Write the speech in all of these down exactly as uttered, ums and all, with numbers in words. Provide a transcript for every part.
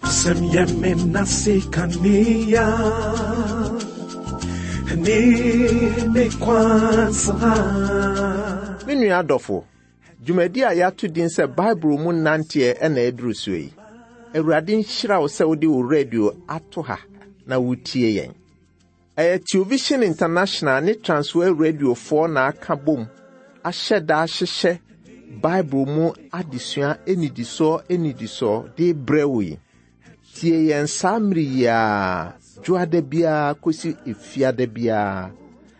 W'asɛm yɛ me nase kanea ne me kwansa. Me nua adɔfo, dwumadi a yɛato din sɛ Bible mu nanteɛ ɛna aduru so yi. Awurade nhyira wo sɛ wode wo radio ato ha na wotie yɛn. Ɛyɛ Television International ne Transworld Radiofoɔ na aka bom ahyɛ da ahyehyɛ Bible mu adesua anidisoɔ anidisoɔ de brɛ wo yi. Tie yɛn saa mmere yi ara, dwoada biara kɔsi efiada biara,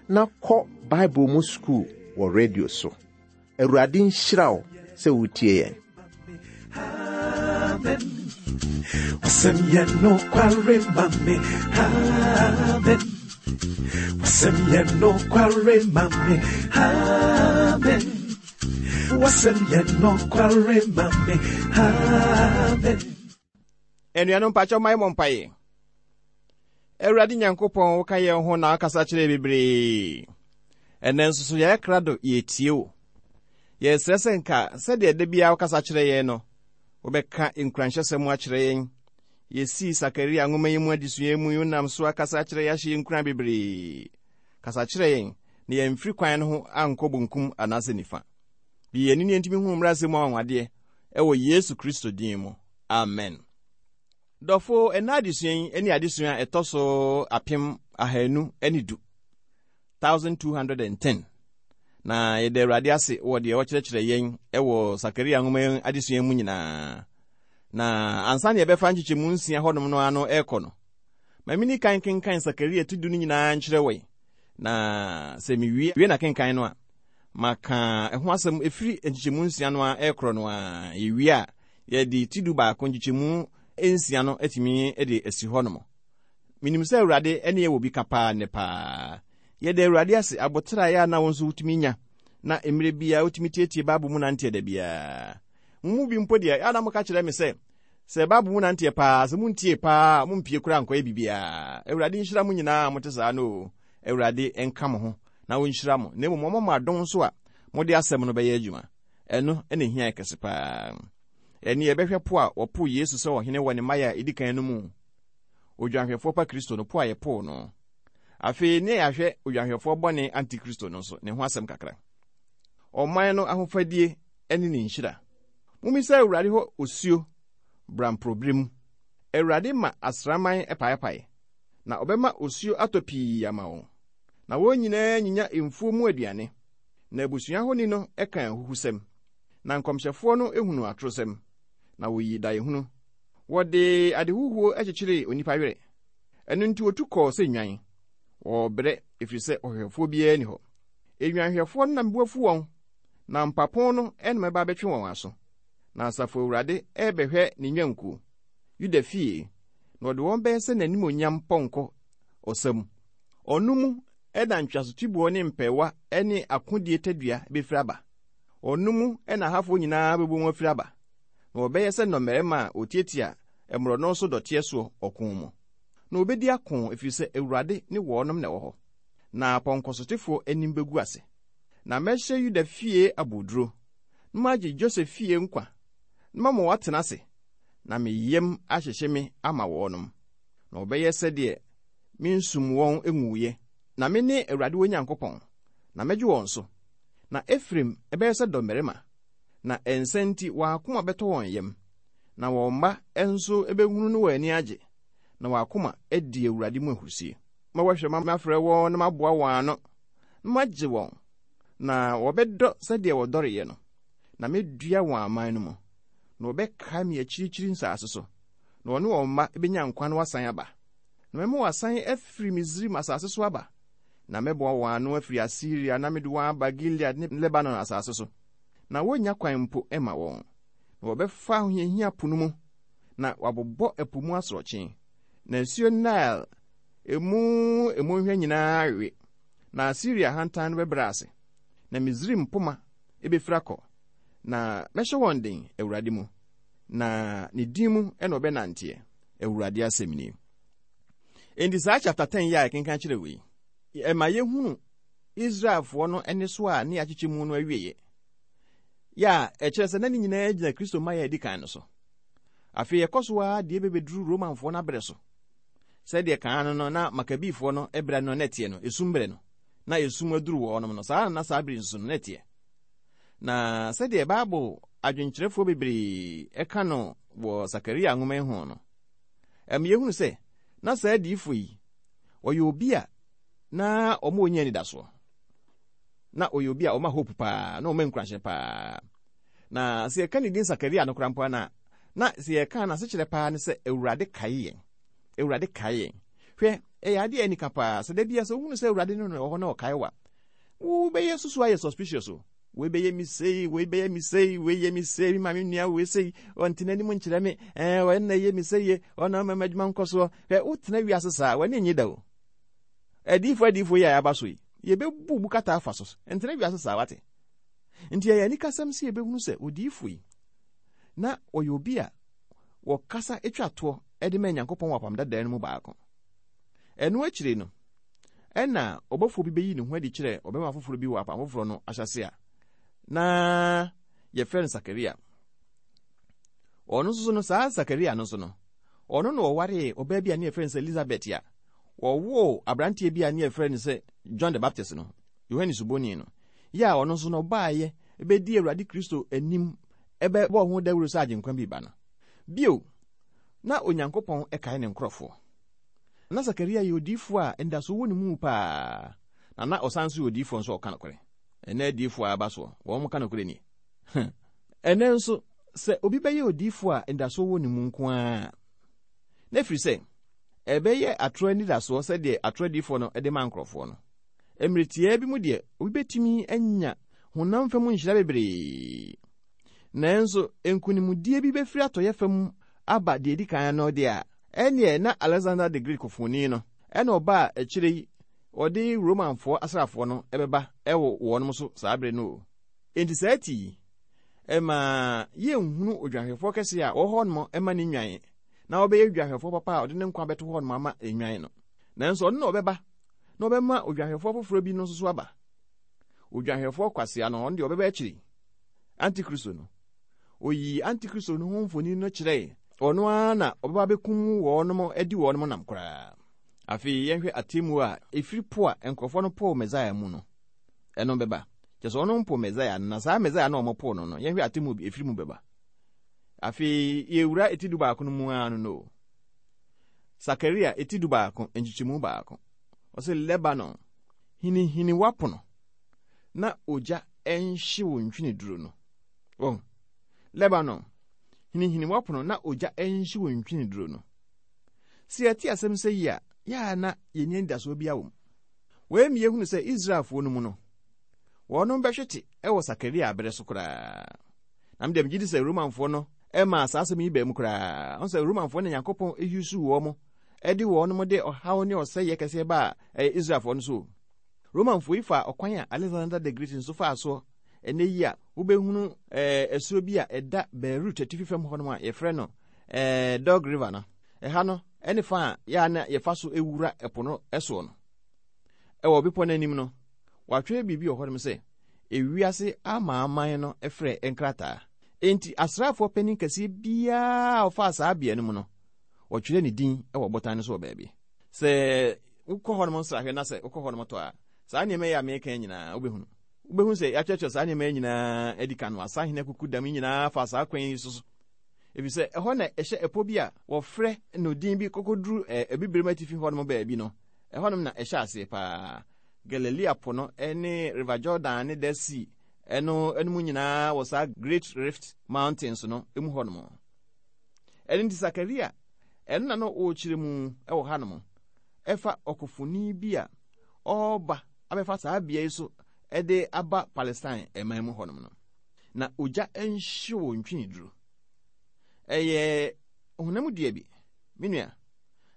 na kɔ Bible mu sukuu wɔ radio so. Awurade nhyira wo sɛ wotie yɛn. Amen. W'asɛm yɛ nokware ma me. Amen. W'asɛm yɛ nokware ma me. Amen. W'asɛm yɛ nokware ma me. Amen. Anuanom mpakyɛw ma yɛmmɔ mpaeɛ. Awurade Nyankopɔn, woka yɛn ho na wakasa kyerɛ bebree. Ɛnɛ nso so yɛyɛ krado yɛtie wo. Yɛsrɛ sɛ nka sɛdeɛ da biara wokasa kyerɛ yɛn no, wobɛka nkuranhyɛsɛm akyerɛ yɛn. Yɛsii Sakaria nwoma yi mu adesua mu yi wonam so akasa akyerɛ yɛn ahyɛ yɛn nkuran bebree. Kasa kyerɛ yɛn na yɛmfiri kwan no ho ankɔ bonkum anaasɛ nifa. Bi yɛn ani ne yɛntumi hu mmaransɛm mu anwanwadeɛ ɛwɔ Yesu Kristo din mu. Amen. Dɔfo, ɛna adesua yi ne adesua a ɛtɔ so apem ahanu ne du, apem ahanu ne du. Na yɛda Awurade ase wɔ deɛ ɔkyerɛkyerɛ yɛn ɛwɔ Sakaria nwoma yi adesua mu nyinaa. Na ansa na yɛbɛfa nkyekyɛmu nsia hɔnom no ano ɛrekɔ no, ma menni kan kenkan Sakaria ti du no nyinaa nkyerɛ wɔ yi. Na sɛ mewie wie na kenkan no a, maka ɛho asɛm ɛfiri nkyekyɛmu nsia no a ɛrekorɔ no a, yɛwie a, yɛde ti du baako nkyekyɛmu nsia no atumi de asi hɔnom. Menim sɛ Awurade ne yɛ wɔ bi ka paa nnɛ paa. Yɛda Awurade ase abotraeɛ a na wo nso wotumi nya na mmerɛ biara wotumi tietie Bible mu nanteɛ da biara. Mo mu bi mpo deɛ, ɛa na moka kyerɛ me sɛ, sɛ Bible mu nanteɛ paa, sɛ montie paa, mompie koraa nkɔyɛ biribiara. Awurade nhyira mo nyinaa a mote saa no o. Awurade nka mo ho na ɔnhyira mo. Na mmom ɔmma mo adom nso a mode asɛm no bɛyɛ adwuma. Ɛno na ehia yɛ kɛse paa. Ɛne yɛbɛhwɛ po a wɔpoo Yesu sɛ ɔhene wɔ ne mmaeɛ a ɛdi kan no mu. Odwanhwɛfoɔ pa Kristo no po a yɛpoo no. Afei ne yɛahwɛ odwanhwɛfoɔ bɔne Antikristo no nso ne ho asɛm kakra. Ɔman no ahofadie ne ne nhyira. Mommisa Awurade hɔ osuo bramporɔbere mu. Awurade ma asraman paepae, na ɔbɛma osuo atɔ pii ama wɔn. Na wɔn nyinaa nyinya mfuo mu aduane. Na abusua honi no ka ahuhusɛm. Na nkɔmhyɛfoɔ no ehunu atorosɛm. Na woyi daehunu. Wɔde adehuhuo kyekyeree onipa werɛ. Ɛno nti wotu kɔɔ sɛ nnwan. Wɔrebrɛ ɛfiri sɛ ɔhwehwɛfoɔ biara nni hɔ. Nnwanhwɛfoɔ no na mbo afu wɔn, na mpapo no na mɛba abɛtwe wɔn aso. Na asafo Awurade ɛrebɛhwɛ ne nnwankuo, Yuda fie, na ɔde wɔn bɛyɛ sɛ n'animonyam pɔnkɔ ɔsa mu. Ɔno mu ɛna ntweasotiboɔ ne mpɛɛwa ne akodie tadua bɛfiri aba. Ɔno mu ɛna ahafoɔ nyinaa bɛbɔ mu afiri aba. Na wɔbɛyɛ sɛ nnɔmmarima a wɔtiatia mmorɔno so dɔteɛ soɔ ɔko mu. Na wɔbɛdi ako ɛfiri sɛ Awurade ne wɔnom na ɛwɔ hɔ. Na apɔnkɔsotefoɔ anim bɛgu ase. Na mɛhyɛ Yuda fie aboduro, na magye Josef fie nkwa, na mama wɔatena ase, na me yam ahyehye me ama wɔnom. Na wɔbɛyɛ sɛdeɛ mensum wɔn nwuiɛ. Na me ne Awurade wɔn Nyankopɔn, na mɛgye wɔn so. Na Efraim ɛbɛyɛ sɛ dɔmmarima, na ɛnsa nti wɔn akoma bɛtɔ wɔn yam, na wɔn mma nso bɛhunu no wɔn ani agye, na wɔn akoma adi Awurade mu ahurusie. Ma wɔahwɛ ma mafrɛ wɔn na maboa wɔn ano, na magye wɔn, na wɔbɛdɔ sɛdeɛ wɔdɔreeɛ no, na mɛdua wɔn aman no mu, na wɔbɛkae me akyirikyiri nsase so, na wɔne wɔn mma bɛnya nkwa na wɔasan aba. Na mɛma wɔasan afiri Misraim asase so aba, na mɛboa wɔn ano afiri Asiria na mede wɔn aba Gilead ne Lebanon asase so. Na wonnya kwan mpo mma wɔn. Na wɔbɛfa ahohiahia po no mu, na wɔabobɔ ɛpo mu asorɔkye. Na nsuo Nile emu mmɔnhwa nyinaa awe, na Asiria ahantan no bɛbrɛ ase, na Misraim poma ebɛfiri akɔ. Na mɛhyɛ wɔn den Awurade mu, na ne din mu ɛna ɔbɛnanteɛ. Awurade asɛm nie. Enti saa chapter ten yi a yɛkenkan kyerɛ wei, ɛma yɛhunu Israelfoɔ no ani so a ne yɛakyekyɛ mu no awieeɛ. Yɛ a ɛkyerɛ sɛ na ne nyinaa gyina Kristo mma yɛ adi kan no so. Afei ɛkɔ so ara deɛ bɛbɛduru Romanfoɔ no aberɛ so. Sɛdeɛ kan no no na Makabifoɔ no berɛ no na ɛteɛ no, esum berɛ no, na esum aduru wɔnom no, saa na na saa bere nso no na ɛteɛ. Na sɛdeɛ Bible adwenkyerɛfoɔ bebree ɛka no wɔ Sakaria nwoma yi ho no, ɛma yɛhunu sɛ na saa adiyifoɔ yi, ɔyɛ obi a na ɔma ɔnya anidasoɔ. Na ɔyɛ obi a ɔma hope paa, na ɔma nkuranhyɛ paa. Na sɛ yɛka ne din Sakaria no koraa mpo a, na na sɛ yɛka n'asekyerɛ paa ne sɛ Awurade kae yɛn. Awurade kae yɛn. Hwɛ, ɛyɛ adeɛ a ɛnika paa. Sɛ da bia sɛ wohunu sɛ Awurade no wɔ hɔ na ɔkae wa, wobɛyɛ susu ayɛ suspicious o. Wei bɛyɛ mi sei, wei bɛyɛ mi sei, wei yɛ mi sei, mi maame nua wei sei, ɔnte n'anim nkyerɛ me, ɛɛ ɔyɛ na ɛyɛ mi sei ye, ɔna ɔma m'adwuma nkɔ soɔ. Hwɛ, wotena wiase saa, w'ani nye da o. Adiyifoɔ adiyifoɔ yi a yɛaba so yi, yɛbɛbu bu kata afa so. Ntena wiase saa, wate. Nti ɛyɛ anikasɛm sɛ yɛbɛhunu sɛ odiyifoɔ yi, na ɔyɛ obi a wɔkasa atwa toɔ de ma Nyankopɔn wɔ apam dadaa no mu baako. Ɛno akyire no, ɛna ɔbɔfoɔ bi bɛyi ne ho adi kyerɛ ɔbɛma foforɔ bi wɔ apam foforɔ no ahyɛse a na yɛfrɛ no Sakaria. Ɔno nso so no, saa Sakaria no nso no, ɔno na ɔwaree ɔbaa bi a ne yɛfrɛ no sɛ Elizabeth a wɔwoo aberanteɛ bi a ne yɛfrɛ no sɛ John the Baptist no, Yohane Suboni no, yɛ a ɔno nso no ɔbaeɛ bɛdi Awurade Kristo anim ɛbɛbɔ ho dawuro sɛ agyenkwa bi ba no. Bio, na Onyankopɔn ɛkae ne nkurɔfoɔ. Na Sakaria yɛ odiyifoɔ a anidasoɔ wɔ ne mu paa, na na ɔsan nso yɛ odiyifoɔ nso a ɔka nokorɛ. Ɛnɛ adiyifoɔ a aba soɔ, wɔn ka nokorɛ nie. Ɛnɛ nso, sɛ obi bɛyɛ odiyifoɔ a anidasoɔ wɔ ne mu nko ara, na ɛfiri sɛ, ɛbɛyɛ atorɔ anidasoɔ sɛdeɛ atorɔ adiyifoɔ no de ma nkurɔfoɔ no. Mmerɛ tiaa bi mu deɛ, obi bɛtumi anya honam fam nhyira bebree. Nanso, nkonimdie bi bɛfiri atɔeɛ fam aba deɛ edi kan no deɛ a, ɛneɛ na Alexander the Great kɔfoni no, ɛna ɔbaa akyire yi, ɔde Romanfoɔ asraafoɔ no ɛbɛba ɛwɔ wɔnom so saa bere no o. Enti saa ti yi, ɛma yɛnhunu odwanhwɛfoɔ kɛseɛ a ɔwɔ hɔnom ɛma ne nnwan, na ɔbɛyɛ odwanhwɛfoɔ papa a ɔde ne nkwa bɛto hɔnom ama nnwan no. Nanso ɔno na ɔbɛba, na ɔbɛma odwanhwɛfoɔ foforɔ bi no nso so aba. Odwanhwɛfoɔ kwasea no, ɔno deɛ ɔbɛba akyiri. Antikristo no. Oyi Antikristo no ho mfoni no kyerɛe. Ɔno ara na ɔbɛba bɛkum wɔnom adi wɔnom nam koraa. Afei yɛnhwɛ atemmuo a ɛfiri po a nkurɔfoɔ no poo Mesaia mu no. Ɛno bɛba. Kyerɛ sɛ ɔno mpo Mesaia no, na saa Mesaia no a ɔmo poo no no, yɛnhwɛ atemmuo bi ɛfiri mu bɛba. Afei yɛwura eti du baako no mu ara no no. Sakaria eti du baako, nkyekyɛmu baako. Ɔsɛ Lebanon, hinihini w'apono, na ogya ɛnhye wo ntweneduro no. Wɔn, Lebanon, hinihini w'apono na ogya ɛnhye wo ntweneduro no. Sɛ yɛte asɛm sɛ yi a, yɛa na yɛnni anidasoɔ bi awɔ mu. Wei mi yɛhunu sɛ Israelfoɔ no mu no, wɔnom bɛhwete ɛwɔ Sakaria abere so koraa. Na mede megye di sɛ Romanfoɔ no ɛma saa asɛm yi baa mu koraa. Ɔn sɛ Romanfoɔ ne Nyankopɔn eyusu wɔn mo, ɛde wɔnom de ɔhaw ne ɔsɛeɛ kɛseɛ baa ɛyɛ Israelfoɔ no so. Romanfoɔ yi fa ɔkwan a Alexander the Great nso faa soɔ ɛnɛ yi a wobɛhunu ɛɛ asuo bi a ɛda Beirut atifi fam hɔnom a yɛfrɛ no ɛɛ Dog River no. Ɛha no ɛne fa a yɛa na yɛfa so ewura ɛpo no ɛsoɔ no. Ɛwɔ bepɔ no anim no, wɔatwerɛ biribi wɔ hɔnom sɛ ewiase amaaman no frɛ nkrataa. Enti asraafoɔ panin kɛseɛ biara a ɔfaa saa bea no mu no, wɔtwerɛ ne din wɔ botan no so wɔ baabi. Sɛ wokɔ hɔnom nsrahwɛ na sɛ wokɔ hɔnom tɔ a, saa nneɛma yi a meka nyinaa wobɛhunu. Wobɛhunu sɛ yɛatwerɛtwerɛ saa nneɛma yi nyinaa adi kan no, asahene akuku dam yi nyinaa fa saa kwan yi so so. Ɛfiri sɛ ɛhɔ na ɛhyɛ ɛpɔ bi a wɔfrɛ no din bi kɔkɔduru abibirem atifi hɔnom baabi no, ɛhɔnom na ɛhyɛ aseɛ paa. Galilea po no ne River Jordan ne Dead Sea ɛno ɛno mu nyinaa wɔ saa Great Rift Mountains no mu hɔnom. Ɛno nti Sakaria, ɛno na no ɔrekyerɛ mu ɛwɔ hanom, ɛfa ɔkofoni bi a ɔreba abɛfa saa bea yi so ɛde aba Palestine ɛman mu hɔnom no. Na ogya nhye wɔ ntweneduro. Ɛyɛ honam dua bi, me nua.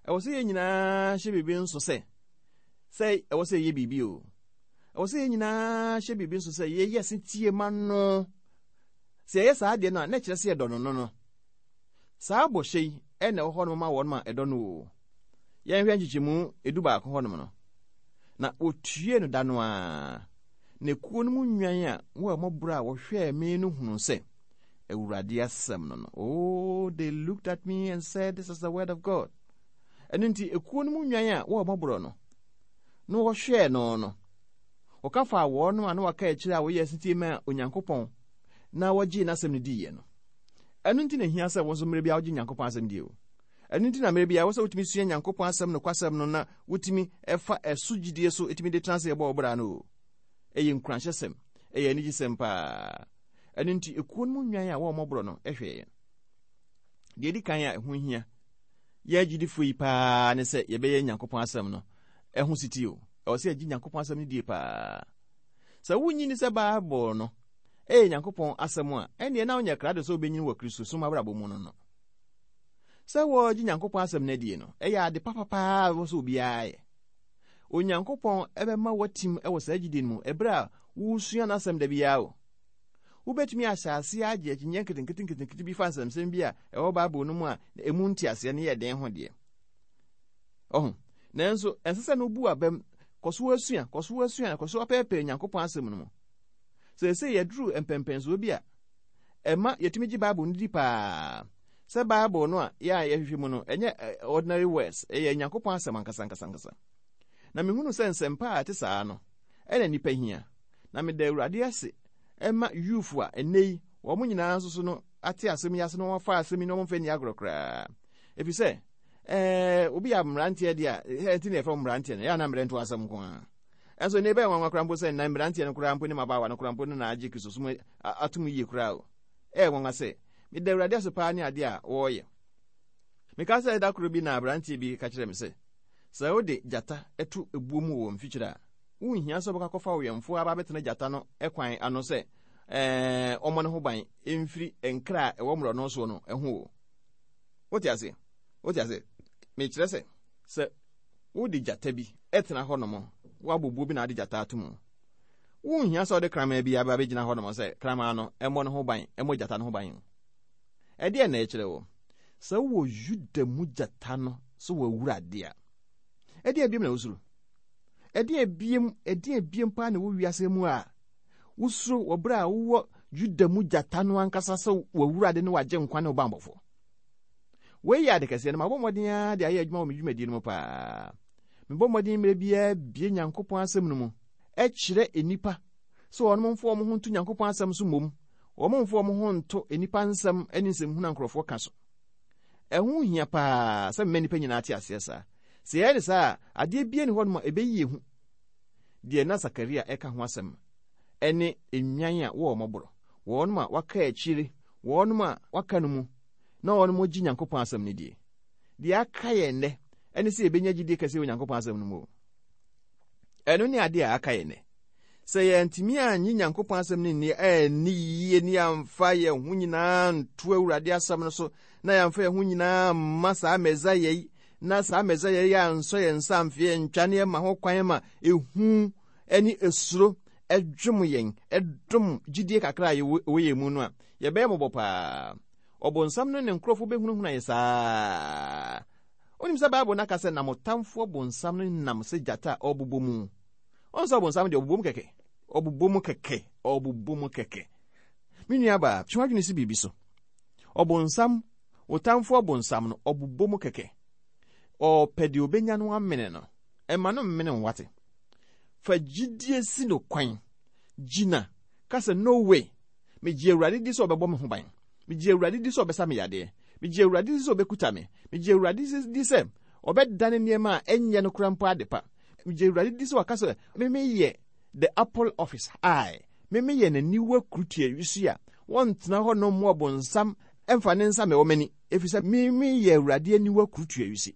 Ɛwɔ sɛ yɛn nyinaa hyɛ biribi nso sɛ, sɛ ɛwɔ sɛ yɛyɛ biribi o. Ɛwɔ sɛ yɛn nyinaa hyɛ biribi nso sɛ yɛyɛ setie ma no. Sɛ yɛyɛ saa adeɛ no a, na ɛkyerɛ sɛ yɛdɔ no no no. Saa bɔhyɛ yi ɛna ɛwɔ hɔnom ma wɔn a ɛdɔ no o. Yɛnhwɛ nkyekyɛmu edu baako hɔnom no. Na wɔtue no da no ara. Na ekuo no mu nnwan a wɔn mmɔborɔ a wɔhwɛɛ me no hunu sɛ Awurade asɛm no no. Oh, they looked at me and said, "This is the word of God." Ɛno nti ekuo no mu nnwan a wɔn mmɔborɔ no na wɔhwɛɛ no no, wɔka faa wɔn a na wɔaka akyire a wɔyɛ asetie ma Onyankopɔn na wɔgyee n'asɛm no diiɛ no. Ɛno nti na ehia sɛ wɔn nso mmerɛ bi a wɔgye Nyankopɔn asɛm die o. Ɛno nti na mmerɛ bi a wɔsɛ wotumi sua Nyankopɔn asɛm no kwasɛm no na wotumi ɛfa ɛso gyidie so etumi de tena ase ɛbɔ ɔbra no o. Ɛyɛ nkuranhyɛsɛm, ɛyɛ anigyesɛm paa. Ɛno nti ekuo no mu nnwan a wɔn mmɔborɔ no ɛhwɛ yɛn. Deɛ edi kan a ɛho hia yɛ agyidifoɔ yi paa ne sɛ yɛbɛyɛ Nyankopɔn asɛm no ɛho siti o. Ɛwɔ sɛ yɛgye Nyankopɔn asɛm no die paa. Sɛ wonyi ni sɛ Bible no ɛyɛ Nyankopɔn asɛm a, ɛnneɛ na wonyɛ krado sɛ wobɛnyini wɔ Kristo som abrabɔ mu no no. Sɛ wɔgye Nyankopɔn asɛm no adie no, ɛyɛ ade papapaa a ɛwɔ sɛ obiara yɛ. Onyankopɔn ɛbɛma watim ɛwɔ saa gyidie no mu ɛberɛ a wosua n'asɛm da biara o. Wobɛtumi ahyɛ aseɛ agye akyinnyeɛ nketenkete nketenkete bi fa nsɛmsɛm bi a ɛwɔ Bible no mu a emu nteaseɛ no yɛ den ho deɛ. Ɔho, nanso ɛnsɛ sɛ no bu abam, kɔ so asua, kɔ so asua, kɔ so apɛɛpɛɛ Nyankopɔn asɛm no mu. Seesei yɛduru mpɛmpɛnsoɔ bi a ɛma yɛtumi gye Bible no di paa. Sɛ Bible no a yɛ a yɛhwehwɛ mu no, ɛnyɛ ordinary words, ɛyɛ Nyankopɔn asɛm ankasa ankasa ankasa. Na mehunu sɛ nsɛmpa a ɛte saa no, ɛna nnipa hia. Na meda Awurade ase ɛma youth a ɛnnɛ yi, wɔn nyinaa nso so no ate asɛm yi ase na wɔafa asɛm yi na wɔmfa nni agorɔ koraa. Ɛfiri sɛ, ɛɛ, obi yɛ mmeranteɛ deɛ a, ɛɛ, nti na yɛfrɛ mmeranteɛ no, ɛyɛ a na mmerɛ nto asɛm nko ara. Ɛnso ne ɛbɛyɛ nwanwa koraa mpo sɛ nna mmeranteɛ no koraa mpo ne mmabaawa no koraa mpo no na agye Kristo som atom yie koraa o. Ɛyɛ nwanwa sɛ, meda Awurade ase paa ne adeɛ a wɔreyɛ. Meka sɛ da koro bi na aberanteɛ bi ka kyerɛ me sɛ, sɛ wode gyata to ebuo mu wɔ mfikyire a, wonhia sɛ wobɛkɔ akɔfa ɔwɛmfoɔ aba abɛtena gyata no kwan ano sɛ ɛɛ ɔmmɔ ne ho ban mfiri nkra a ɛwɔ mmorɔno soɔ no ho o. Wote ase? Wote ase? Mekyerɛ sɛ, sɛ wode gyata bi tena hɔnom, woabɔ buo bi na ade gyata ato mu, wonhia sɛ wode kraman bi aba abɛgyina hɔnom sɛ kraman no mmɔ ne ho ban, mmɔ gyata no ho ban. Ɛdeɛ na ɛkyerɛ wo? Sɛ wowɔ Yuda mu gyata no so wɔ Awurade a, ɛdeɛ biem na wosuro? Ɛdeɛ biem, ɛdeɛ biem paa na wɔ wiase mu a wosuro wɔ berɛ a wowɔ Yuda mu gyata no ankasa sɛ wɔ Awurade ne wagye nkwa ne wo bammɔfoɔ. Wei yɛ ade kɛseɛ no, mabɔ mmɔden ara de ayɛ adwuma wɔ me dwumadie no mu paa. Mebɔ mmɔden mmerɛ biara bie Nyankopɔn asɛm no mu, ɛkyerɛ nnipa sɛ wɔn mfa wɔn ho nto Nyankopɔn asɛm so mmom, wɔn mfa wɔn ho nto nnipa nsɛm ne nsɛmhunu a nkurɔfoɔ ka so. Ɛho hia paa sɛ mma nnipa nyinaa te aseɛ saa. Sɛ yɛyɛ ne saa a, adeɛ bia ni hɔnom a ɛbɛyi yɛn hu. Deɛ na Sakaria ɛka ho asɛm ɛne nnwan a wɔwɔ mmɔborɔ, wɔnom a waka akyire, wɔnom a waka no mu, na wɔnom gye Nyankopɔn asɛm no die. Deɛ aka yɛn nnɛ ɛne sɛ yɛbɛnya gyidie kɛseɛ wɔ Nyankopɔn asɛm no mu. Ɛno ne adeɛ a aka yɛn nnɛ. Sɛ yɛntumi annye Nyankopɔn asɛm no nni ɛnni yie ne yɛamfa yɛn ho nyinaa nto Awurade asɛm no so, na yɛamfa yɛn ho nyinaa mma saa Mesaia yi, na saa Mesaia yi ansɔ yɛn nsa amfe yɛn ntwa ne yɛma ho kwan ma ehu ne esuro ɛdwom yɛn, ɛdom gyidie kakra a yɛwɔ yɛn mu no a, yɛbɛyɛ mmɔbɔ paa. Ɔbonsam no ne nkurɔfoɔ bɛhunahuna yɛn saa. Wonim sɛ Bible no aka sɛ nam ɔtamfoɔ bonsam no nam sɛ gyata a ɔbobɔ mu. Ɔn sɛ ɔbonsam deɛ ɔbobɔ mu kɛkɛ. Ɔbobɔ mu kɛkɛ. Ɔbobɔ mu kɛkɛ. Me nua baa, twe w'adwene si biribi so. Ɔbonsam, ɔtamfoɔ bonsam no, ɔbobɔ mu kɛkɛ. Ɔpɛ deɛ ɔbɛnya no amene no. Ɛma no mmene wo wate. Fa gyidie si no kwan. Gyina. Ka sɛ, no way. Megye Awurade di sɛ ɔbɛbɔ me ho ban. Megye Awurade di sɛ ɔbɛsa me yadeɛ. Megye Awurade di sɛ ɔbɛkuta me. Megye Awurade di sɛ ɔbɛdane nneɛma a ɛnyɛ no koraa mpo ade pa. Megye Awurade di sɛ waka sɛ me meyɛ the apple of his eye. Me meyɛ n'aniwa kurutua wisi a wɔntena hɔ nom mu ɔbonsam ɛmfa ne nsa mɛwɔ m'ani, ɛfiri sɛ me meyɛ Awurade aniwa kurutua wisi.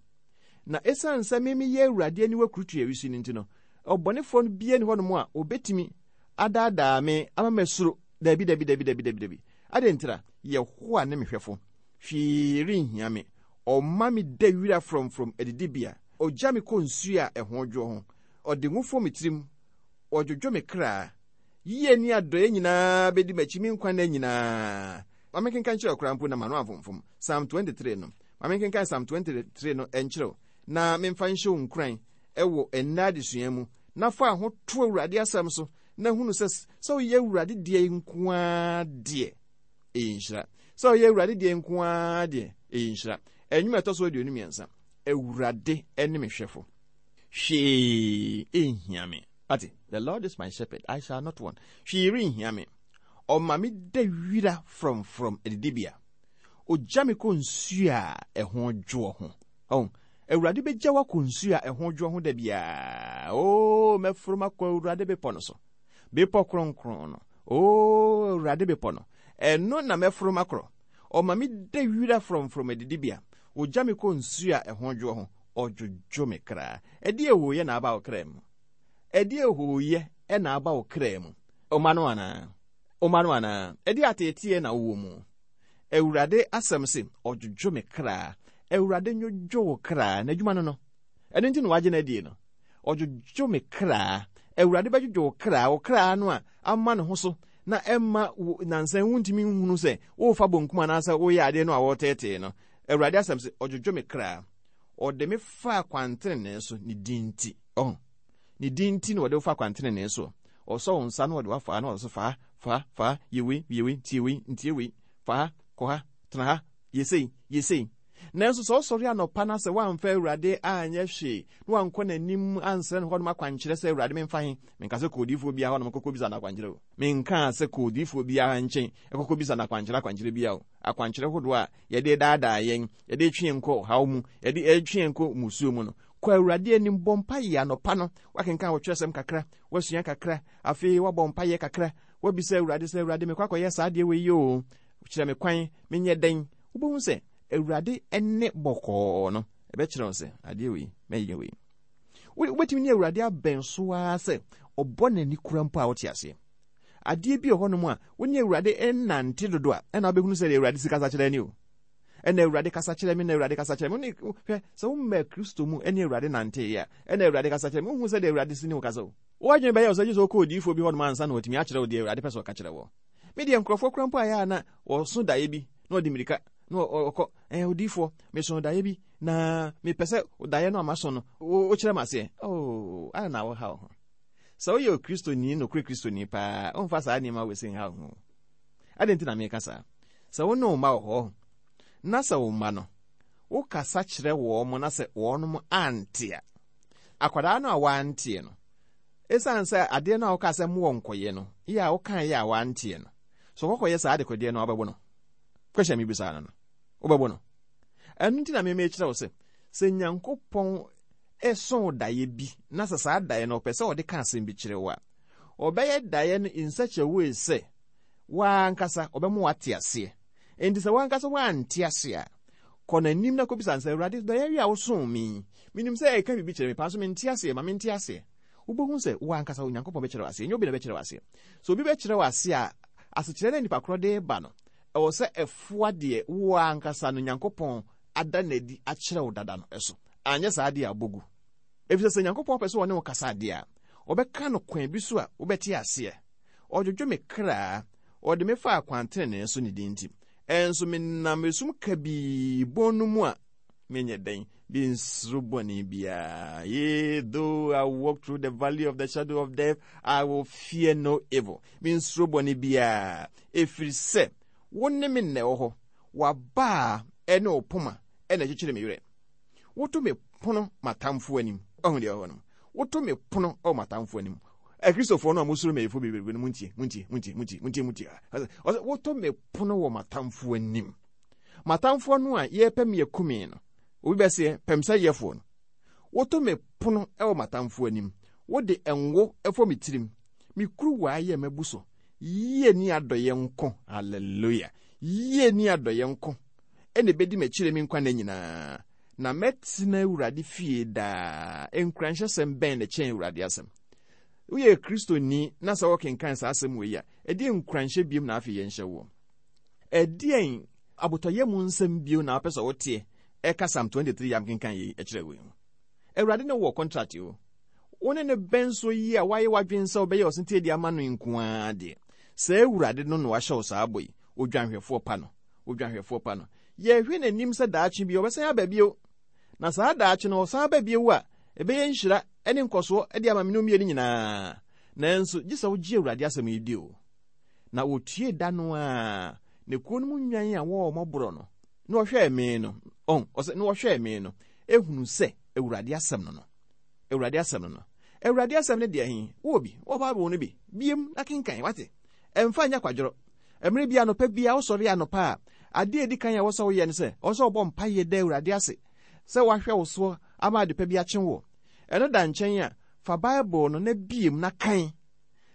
Na ɛsiane sɛ me meyɛ Awurade aniwa kurutua wisi no nti no, ɔbɔnefoɔ no bia ni hɔnom a obɛtumi adaadaa me ama masuro. Dabi, dabi, dabi, dabi, dabi, dabi. Adɛn ntira? Yehowa ne me hwɛfo. Hwee renhia me. Ɔma me da wira frɔmfrɔm adidibea. Ɔgya me kɔ nsuo a ɛho dwoɔ ho. Ɔde ngo fɔ me tirim. Ɔdwodwo me kra. Yie ne adɔeɛ nyinaa bɛdi m'akyi me nkwa nna nyinaa. Ma menkenkan kyerɛ koraa mpo na m'ano amfomfom. Psalm twenty-three no. Ma menkenkan Psalm twenty-three no nkyerɛw na memfa nhyɛ wo nkuran ɛwɔ ɛnnɛ adesua mu, na fa ho to Awurade asɛm so, Na hunu sɛ sɛ woyɛ Awurade deɛ nko ara deɛ, ɛyɛ nhyira. Sɛ woyɛ Awurade deɛ nko ara deɛ, ɛyɛ nhyira. Ɛnwom a ɛtɔ so aduonu mmiɛnsa. Awurade ne me hwɛfo. Hwee ɛnhia me. Ate, the Lord is my shepherd, I shall not want. Hwee renhia me. Ɔma me da wira frɔmfrɔm adidibea. Ogya me kɔ nsuo a ɛho dwoɔ ho. Oh, Awurade bɛgya wo akɔ nsuo a ɛho dwoɔ ho da biara. Oh, mɛforo makɔ Awurade bepɔ no so. Bepɔ kronkron no. Oh, Awurade bepɔ no. Ɛno na mɛforo makorɔ. Ɔma me da wira frɔmfrɔm adidibea. Ogya me kɔ nsuo a ɛho dwoɔ ho. Ɔdwodwo me kra. Ɛdeɛ ɛhooyɛ na aba wo kra mu. Ɛdeɛ ɛhooyɛ na aba wo kra mu. Ɔma no anaa? Ɔma no anaa? Ɛdeɛ ateeteɛ na wowɔ mu. Awurade asɛm se, ɔdwodwo me kra. Awurade nwodwo wo kra. N'adwuma no no. Ɛno nti na wagye no adie no. Ɔdwodwo me kra. Awurade bɛdwodwo wo kra. Wo kra no a ama ne ho so na ɛmma nansan wontumi nhunu sɛ worefa bonkum anaasɛ woyɛ adeɛ no a wɔreteetee no. Awurade asɛm se, ɔdwodwo me kra. Ɔde me fa kwantenenee so ne din nti. Ɔho. Ne din nti na ɔde wo fa kwantenenee so. Ɔsɔ wo nsa na ɔde wafa na ɔde so fa, fa, fa, yɛ wei, yɛ wei, tie wei, ntie wei, fa ha, kɔ ha, tena ha, yɛ sei, yɛ sei. Nanso sɛ ɔsɔre anɔpa na sɛ woamfa Awurade anyɛ hwee na wankɔ n'anim ansrɛ no hɔnom akwankyerɛ sɛ Awurade memfa he, menka sɛ kɔ odiyifoɔ biara hɔnom kɔkɔ bisa no akwankyerɛ o. Menka sɛ kɔ odiyifoɔ biara nkyɛn ɛkɔkɔ bisa no akwankyerɛ akwankyerɛ biara o. Akwankyerɛ hodoɔ a yɛde daadaa yɛn, yɛde twe yɛn kɔ ɔhaw mu, yɛde twe yɛn kɔ musuo mu no. Kɔ Awurade anim bɔ mpaeɛ anɔpa no, wakenkan wo twerɛsɛm kakra, wasua kakra, afei wabɔ mpaeɛ kakra, wabisa Awurade sɛ Awurade mekɔ akɔyɛ saa adeɛ wei yi o, kyerɛ me kwan, menyɛ dɛn. Wobɛhu sɛ Awurade ne bɔkɔɔ no, ɛbɛkyerɛ wo sɛ adeɛ wei, mɛyɛ wei. Wobɛtumi ne Awurade abɛn so ara sɛ ɔbɔ n'ani kura mpo a wote aseɛ. Adeɛ bi wɔ hɔnom a wo ne Awurade nnante dodo a, ɛna wobɛhunu sɛ Awurade si kasa kyerɛ ni o. Ɛna Awurade kasa kyerɛ me, na Awurade kasa kyerɛ me. Hwɛ, sɛ womma Kristo mu ne Awurade nanteeɛ a, ɛna Awurade kasa kyerɛ me. Wohu sɛ deɛ Awurade si ne wo kasa o. Woadwene bɛyɛ wo sɛ gye sɛ wokɔ odiyifoɔ bi hɔnom ansa na watumi akyerɛ wo deɛ Awurade pɛ sɛ ɔka kyerɛ wɔ. Me deɛ nkurɔfoɔ kora mpo ayɛ a na wɔso daeɛ bi na ɔde mmirika na ɔkɔ, ɛɛ odiyifoɔ, meso daeɛ bi na mepɛ sɛ daeɛ no a maso no, wokyerɛ me aseɛ. Oh, ana na woha wo ho. Sɛ woyɛ Kristoni, nokorɛ Kristoni paa, womfa saa nneɛma wei sɛ nha wo ho. Adɛn nti na meka saa? Sɛ wo ne wo mma wɔ hɔ, na sɛ wo mma no, wokasa kyerɛ wɔn mo na sɛ wɔnom ante a, akwadaa no a wanteɛ no, ɛsiane sɛ adeɛ no a woka sɛ mowɔ nkɔyɛ no, yɛ a wokaeɛ a wanteɛ no, sɛ ɔkɔkɔyɛ saa adekodeɛ no a wobɛbɔ no. Question mi bisa no no, wobɛbɔ no. Ɛno nti na meme kyerɛ wo sɛ, sɛ Nyankopɔn ɛso daeɛ bi, na sɛ saa daeɛ no ɔpɛ sɛ ɔde ka asɛm bi kyerɛ wo a, ɔbɛyɛ daeɛ no in such a way sɛ wankasa ɔbɛma wate aseɛ. Enti sɛ wankasa wante ase a, kɔ n'anim na kɔbisa no sɛ, Awurade, daeɛ wi a wosoo me, menim sɛ ɛka biribi kyerɛ me paa, so mente aseɛ, ma mente aseɛ. Wobɛhu sɛ wankasa Onyankopɔn bɛkyerɛ wo aseɛ, ɛnyɛ obi na bɛkyerɛ wo aseɛ. Sɛ obi bɛkyerɛ wo aseɛ a, asekyerɛ na nipa korɔ de ba no, ɛwɔ sɛ ɛfoa deɛ wo ankasa no Nyankopɔn ada n'adi akyerɛ wo dada no ɛso. Anyɛ saa deɛ a wobɔgu. Ɛfiri sɛ Nyankopɔn pɛ sɛ ɔne wo kasa adeɛ a, ɔbɛka no kwan bi so a wobɛte aseɛ. Ɔdwodwo me kra, ɔde me fa akwantenenee so ne din nti. Ɛnso menam esum kabii bɔn no mu a, menyɛ dɛn, mensuro bɔne biara. Yea, though I walk through the valley of the shadow of death, I will fear no evil. Mensuro bɔne biara, ɛfiri sɛ wo ne me nnɛ wɔ hɔ. W'abaa ɛne wo poma ɛna ɛkyekyere me werɛ. Woto me pono m'atamfoɔ anim. Ɔhu deɛ ɛwɔ hɔ no. Woto me pono ɛwɔ m'atamfoɔ anim. Akristofoɔ no a mosuro mɛyifo bebrebe no, muntie, muntie, muntie, muntie, muntie, muntie. Ɔsɛ woto me pono wɔ m'atamfoɔ anim. M'atamfoɔ no a yɛpɛ me akumi no, obi bɛseɛ pɛm sɛ yɛfoɔ no. Woto me pono ɛwɔ m'atamfoɔ anim. Wode ngo ɛfɔ me tirim. Me kuruwa ayɛ m'abu so. Yie ni adɔyɛ nko. Hallelujah. Yie ni adɔyɛ nko. Ɛna ebedi m'akyire me nkwa nna nyinaa. Na mɛtena Awurade fie daa. Nkuranhyɛsɛm bɛn na ɛkyɛn Awurade asɛm? Woyɛ Kristoni na sɛ wɔkenkan saa asɛm wei a, ɛdeɛn nkuranhyɛ biom na afei yɛnhyɛ woɔ? Ɛdeɛn abotɔyɛ mu nsɛm bio na wopɛ sɛ woteɛ ɛka Psalm twenty-three yam kenkan yei ɛkyerɛ wei ho? Awurade ne wɔ contract o. Wo ne ne bɛn so yi a woayɛ w'adwene sɛ wobɛyɛ ɔsentie de ama no nko ara deɛ. Sɛ Awurade no na wahyɛ wo saa bɔ yi, odwanhwɛfoɔ pa no, odwanhwɛfoɔ pa no. Yɛhwɛ n'anim sɛ daakye bi ɔbɛsan aba bio. Na saa daakye no ɔsan aba bio a, ɛbɛyɛ nhyira ne nkɔsoɔ de ama me ne mmienu nyinaa. Nanso gye sɛ wogye Awurade asɛm yi di o. Na wɔtue da no a ne kuo no mu nnwan a wɔwɔ mmɔborɔ no na wɔhwɛɛ me no, ɔn ɔsɛ na wɔhwɛɛ me no ehunu sɛ Awurade asɛm no no Awurade asɛm no no Awurade asɛm no deɛ he wowɔ bi, wɔ Bible no bi biem na kenkan wate. Ɛmfa nyɛ kwadworɔ. Mmerɛ bi anɔpa bi a wosɔre anɔpa a, adeɛ a ɛdi kan a ɛwɔ sɛ woyɛ no sɛ ɔwɔ sɛ wobɔ mpayɛ da Awurade ase sɛ wahwɛ wo soɔ ama ade pa bi akye wo. Ɛno da nkyɛn a, fa Bible no na biem na kan.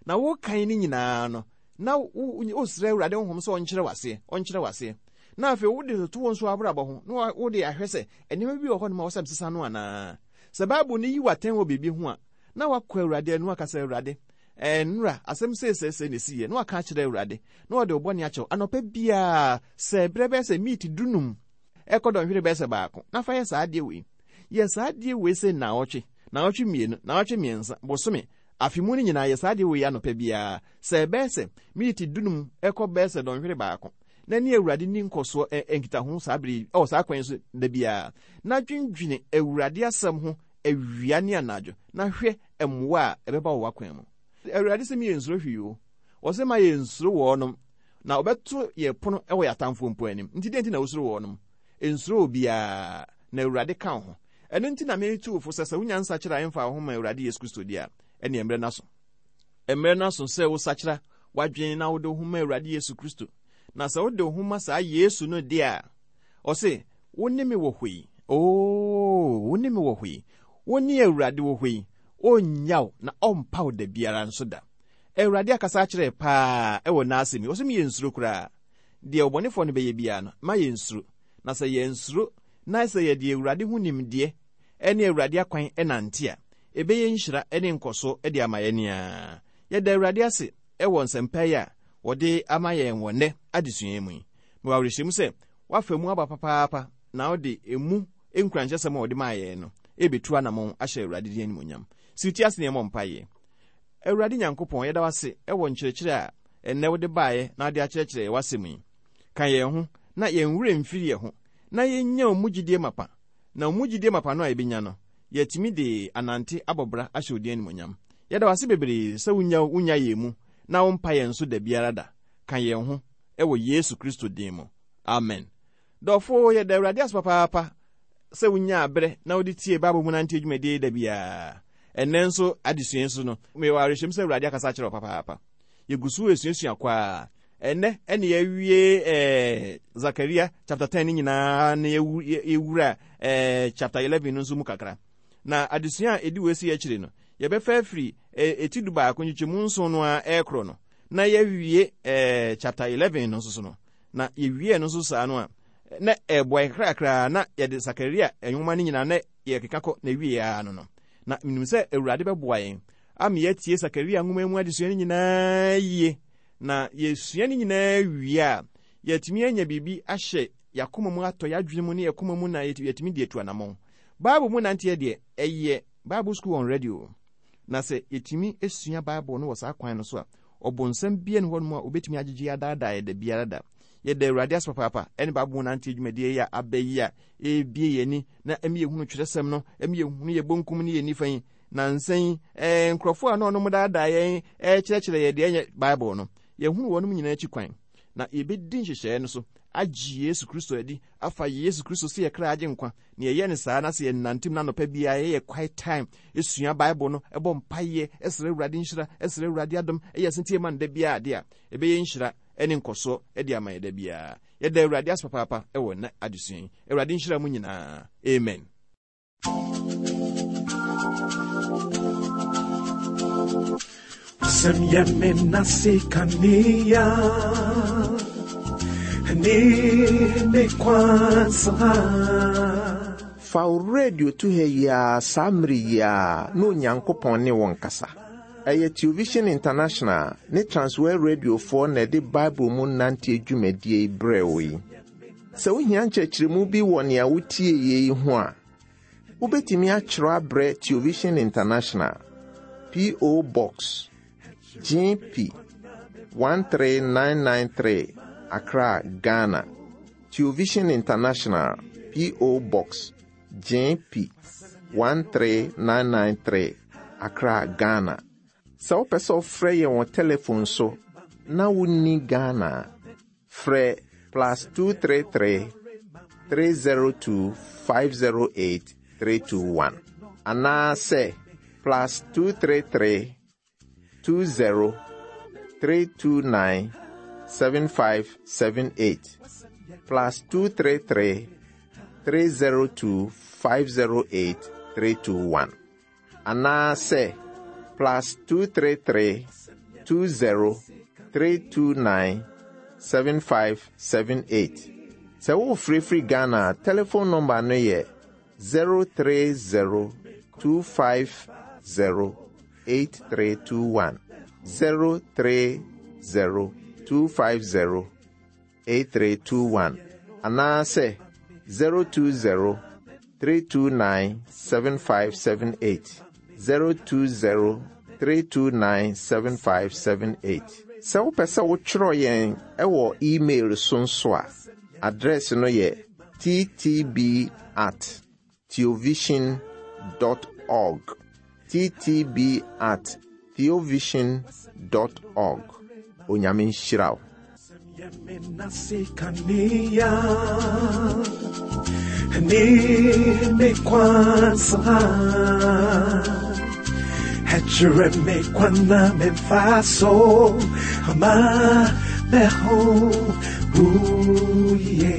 Na wokan no nyinaa no, na wosrɛ Awurade honhom sɛ ɔnkyerɛ w'aseɛ, ɔnkyerɛ w'aseɛ. Na afei wode toto wo nso abrabɔ ho, na wode ahwɛ sɛ nneɛma bi wɔ hɔ nom a wɔsɛ mesesa no anaa. Sɛ Bible no yi w'atɛn wɔ biribi ho a, na wakɔ Awurade anu aka sɛ, Awurade, ɛnora asɛm seesɛsɛ na ɛsiiɛ, na waka akyerɛ Awurade, na wɔde wo bɔne akyɛw. Anɔpa biara, sɛ berɛ bɛyɛ sɛ miiti dunum ɛkɔ dɔnhwere bɛyɛ sɛ baako, na fa yɛ saa adeɛ wei. Yɛ saa adeɛ wei sɛ naawɔtwe, naawɔtwe mmienu, naawɔtwe mmiɛnsa, bosome, afe mu no nyinaa yɛ saa adeɛ wei anɔpa biara. Sɛ ɛbɛyɛ sɛ miiti dunum ɛkɔ bɛyɛ sɛ dɔnhwere baako, na ne Awurade ni nkɔsoɔ nkitaho saa bere ɛwɔ saa kwan so da biara. Na dwendwene Awurade asɛm ho awia ne anadwo, na hwɛ mmoa a ɛbɛba wɔ w'akwan mu. Awurade sɛ meyɛ nsuro hwee o. Ɔsɛ ma yɛ nsuro wɔnom, na ɔbɛto yɛ pono ɛwɔ yɛ atamfoɔ mpo anim. Nti deɛ nti na wosuro wɔnom? Nsuro obiara, na Awurade ka wo ho. Ɛno nti na metu wo fo sɛ sɛ wonya nsakyera a ɛmfa wo ho ma Awurade Yesu Kristo di a, ɛne mmerɛ no aso. Mmerɛ no aso sɛ wosakyera w'adwene na wode wo ho ma Awurade Yesu Kristo. Na sɛ wode wo ho ma saa Yesu no de a, ɔse, wo ne me wɔ hɔ yi. Oo, wo ne me wɔ hɔ yi. Wo ne Awurade wɔ hɔ yi. Ɔnnyaw na ɔmpa wo da biara nso da. Awurade akasa akyerɛ paa ɛwɔ n'asɛm yi. Ɔse meyɛ nsuro koraa. Deɛ ɔbɔnefoɔ no bɛyɛ biara no, ma yɛ nsuro. Na sɛ yɛ nsuro na sɛ yɛde Awurade ho nimdeɛ ɛne Awurade akwan ɛnante a, ɛbɛyɛ nhyira ɛne nkɔso de ama yɛn a. Yɛda Awurade ase ɛwɔ nsɛmpa yi a wɔde ama yɛn wɔ nnɛ adesua mu yi. Mewɔ awerɛhyɛmu sɛ woafa mu aba papaapa na wode emu nkuranhyɛsɛm a wɔde maa yɛn no ɛbɛtu anammɔn ahyɛ Awurade din animuonyam. Si wo ti ase na yɛmmɔ mpaeɛ. Awurade Nyankopɔn, yɛda wo ase ɛwɔ nkyerɛkyerɛ a ɛnnɛ wode baeɛ na wode akyerɛkyerɛ yɛn w'asɛm yi. Ka yɛn ho na yɛn werɛ mfiri yɛn ho, na yɛnya wo mu gyidie mapa. Na wo mu gyidie mapa no a yɛbɛnya no, yɛtumi de anante abɔ bra ahyɛ wo din animuonyam. Yɛda wo ase bebree sɛ wonya wonya yɛn mu na wompa yɛn so da biara da. Ka yɛn ho ɛwɔ Yesu Kristo din mu. Amen. Dɔfo, yɛda Awurade ase papaapa sɛ wonya aberɛ na wode tie Bible mu nante dwumadie da biara. Ɛnnɛ nso adesua nso no, mewɔ awerɛhyɛm sɛ Awurade akasa akyerɛ wo papaapa. Yɛgu so esuasua kwaa. Ɛnnɛ ɛne yɛawie ɛɛ Zakaria chapter ten ne nyinaa na yɛwura ɛɛ chapter eleven no nso mu kakra. Na adesua a ɛdi wɔ esi akyire no, yɛbɛfa afiri eti du baako nkyekyɛmu nson no a ɛrekorɔ no, na yɛawie ɛɛ chapter eleven no nso so no. Na yɛwie no nso saa no a, na ɛboa yɛn kakrakra na yɛde Sakaria nwoma no nyinaa na yɛkeka kɔ na wie ara no no. Na menim sɛ Awurade bɛboa yɛn ama yɛatie Sakaria nwoma mu adesua no nyinaa yie. Na yɛsua no nyinaa wie a, yɛatumi anya biribi ahyɛ yɛakoma mu atɔ yɛadwene mu ne yɛkoma mu na yɛtumi de atu anammɔn. Bible mu nanteɛ deɛ, ɛyɛ Bible School on Radio. Na sɛ yɛtumi esua Bible no wɔ saa kwan no so a, ɔbonsam bia ne hɔnom a obɛtumi agyegye adaadaa yɛ da biara da. Yɛda Awurade ase papaapa ɛne Bible mu nanteɛ dwumadie yi a aba yi a ɛrebie yɛn ani na ɛma yɛhunu twerɛsɛm no, ɛma yɛhunu yɛ bonkum ne yɛ nifa yi. Na nsa yi, ɛɛ nkurɔfoɔ a na ɔnom daadaa yɛn ɛrekyerɛkyerɛ yɛ deɛ ɛnyɛ Bible no, yɛhunu wɔnom nyinaa akyi kwan. Na yɛbɛdi nhyehyɛeɛ no so agye Yesu Kristo adi, afa Yesu Kristo sɛ yɛ kra agye nkwa. Na yɛyɛ no saa na sɛ yɛnantem na anɔpa biara yɛyɛ quiet time, esua Bible no, ɛbɔ mpaeɛ, ɛsrɛ Awurade nhyira, ɛsrɛ Awurade adom, ɛyɛ asentie ma no da biara adeɛ a, ɛbɛyɛ nhyira ɛne nkɔsoɔ ɛde ama yɛ da biara. Yɛda Awurade ase papaapa ɛwɔ nnɛ adesua yi. Awurade nhyira mu nyinaa. Amen. Wasɛm yɛ me nase kanea ne me kwan so ha. Fa wo radio to ha yi ara saa mmere yi ara na Onyankopɔn ne wo nkasa. Ɛyɛ Television International ne Transworld Radiofoɔ na ɛde Bible mu nante dwumadie yi brɛ wo yi. Sɛ wohia nkyerɛkyerɛmu bi wɔ nea wotie yi ho a, wobɛtumi akyerɛw abrɛ Television International, P O. Box G P one three nine nine three, Accra, Ghana. Television International, P O. Box G P one three nine nine three, Accra, Ghana. Sɛ wopɛ sɛ wofrɛ yɛn wɔ telefon so na wonni Ghana a, frɛ plus two three three three zero two five zero eight three two one anaasɛ plus two three three two zero three two nine seven five seven eight, plus two three three three zero two five zero eight three two one anaasɛ plus two three three two zero three two nine seven five seven eight. Sɛ wofirifiri Ghana a, telephone number no yɛ zero three zero two five zero eight three two one, zero three zero two five zero eight three two one anaasɛ zero two zero three two nine seven five seven eight, zero two zero three two nine seven five seven eight. Sɛ wopɛ sɛ wotwerɛ yɛn ɛwɔ email so nso a, address no yɛ T T B at theovision dot org, T T B at theovision dot org. Onyame nhyira wo. Yɛmenasikanea ne me kwansa ɛkyerɛ me kwan na memfa so ama meho wo yie.